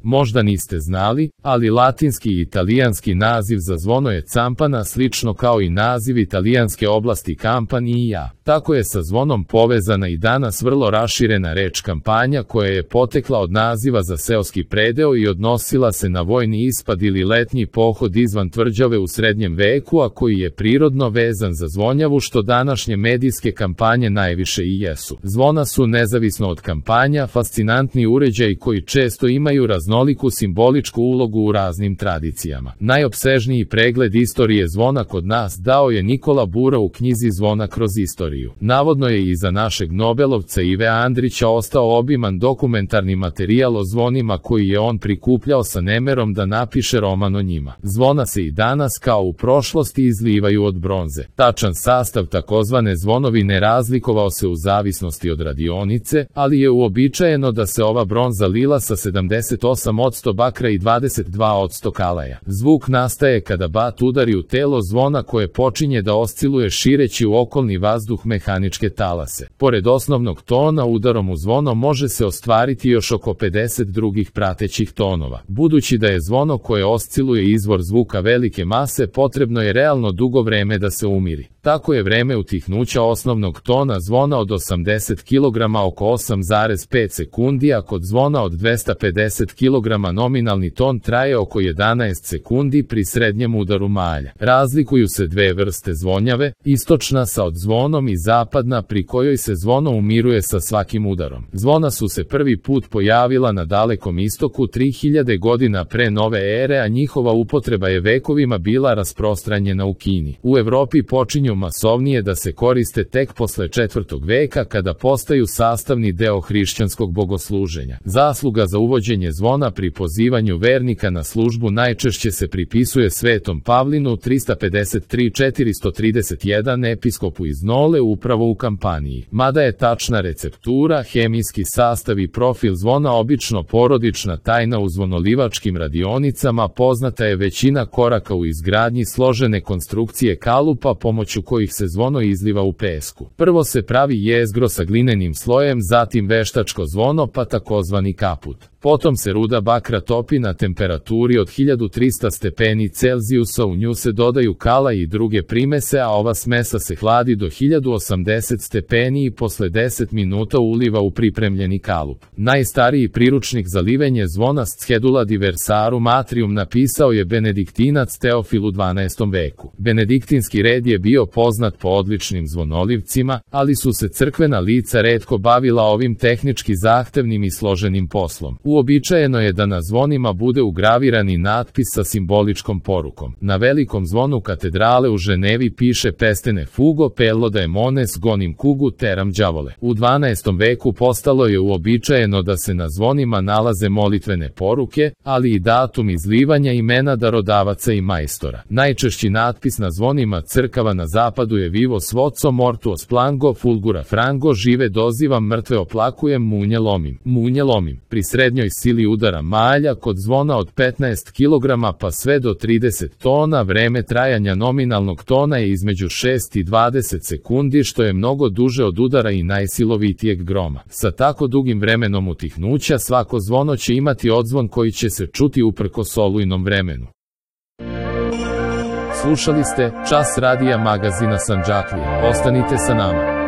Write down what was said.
Možda niste znali, ali latinski i italijanski naziv za zvono je campana, slično kao i naziv italijanske oblasti Campanija. Tako je sa zvonom povezana i danas vrlo raširena reč kampanja koja je potekla od naziva za seoski predeo i odnosila se na vojni ispad ili letnji pohod izvan tvrđave u srednjem veku, a koji je prirodno vezan za zvonjavu, što današnje medijske kampanje najviše i jesu. Zvona su, nezavisno od kampanja, fascinantni uređaji koji često imaju raznoliku simboličku ulogu u raznim tradicijama. Najopsežniji pregled istorije zvona kod nas dao je Nikola Bura u knjizi Zvona kroz istoriju. Navodno je i za našeg Nobelovca Ive Andrića ostao obiman dokumentarni materijal o zvonima koji je on prikupljao sa nemerom da napiše roman o njima. Zvona se i danas kao u prošlosti izlivaju od bronze. Tačan sastav takozvane zvonovine razlikovao se u zavisnosti od radionice, ali je uobičajeno da se ova bronza lila sa 78% bakra i 22% kalaja. Zvuk nastaje kada bat udari u telo zvona koje počinje da osciluje šireći u okolni vazduh mehaničke talase. Pored osnovnog tona, udarom u zvono može se ostvariti još oko 50 drugih pratećih tonova. Budući da je zvono koje osciluje izvor zvuka velike mase, potrebno je realno dugo vreme da se umiri. Tako je vreme utihnuća osnovnog tona zvona od 80 kg oko 8,5 sekundi, a kod zvona od 250 kg nominalni ton traje oko 11 sekundi pri srednjem udaru malja. Razlikuju se dve vrste zvonjave, istočna sa odzvonom i zapadna pri kojoj se zvono umiruje sa svakim udarom. Zvona su se prvi put pojavila na Dalekom istoku 3000 godina pre nove ere, a njihova upotreba je vekovima bila rasprostranjena u Kini. U Evropi počinju masovnije da se koriste tek posle 4. veka kada postaju sastavni deo hrišćanskog bogosluženja. Zasluga za uvođenje zvona pri pozivanju vernika na službu najčešće se pripisuje Svetom Pavlinu 353-431 episkopu iz Nole upravo u Kampaniji. Mada je tačna receptura, hemijski sastav i profil zvona obično porodična tajna u zvonolivačkim radionicama, poznata je većina koraka u izgradnji složene konstrukcije kalupa pomoću kojih se zvono izliva u pesku. Prvo se pravi jezgro sa glinenim slojem, zatim veštačko zvono pa takozvani kaput. Potom se ruda bakra topi na temperaturi od 1300 stepeni Celzijusa, u nju se dodaju kala i druge primese, a ova smesa se hladi do 1080 stepeni i posle 10 minuta uliva u pripremljeni kalup. Najstariji priručnik za livenje zvona Schedula diversarum atrium napisao je benediktinac Teofil u 12. veku. Benediktinski red je bio poznat po odličnim zvonolivcima, ali su se crkvena lica retko bavila ovim tehnički zahtevnim i složenim poslom. Uobičajeno je da na zvonima bude ugravirani natpis sa simboličkom porukom. Na velikom zvonu katedrale u Ženevi piše Pestene fugo pello daemones gonim kugu teram đavole. U 12. veku postalo je uobičajeno da se na zvonima nalaze molitvene poruke, ali i datum izlivanja, imena darodavaca i majstora. Najčešći natpis na zvonima crkava na zapadu je Vivo svoco mortuo splango fulgura frango, žive dozivam, mrtve oplakujem, munje lomim. Munje lomim. Pri srednjoj sili udara malja kod zvona od 15 kg pa sve do 30 tona, vreme trajanja nominalnog tona je između 6 i 20 sekundi, što je mnogo duže od udara i najsilovitijeg groma. Sa tako dugim vremenom utihnuća svako zvono će imati odzvon koji će se čuti uprkos olujnom vremenu. Slušali ste Čas radija magazina Sandžaklija. Ostanite sa nama.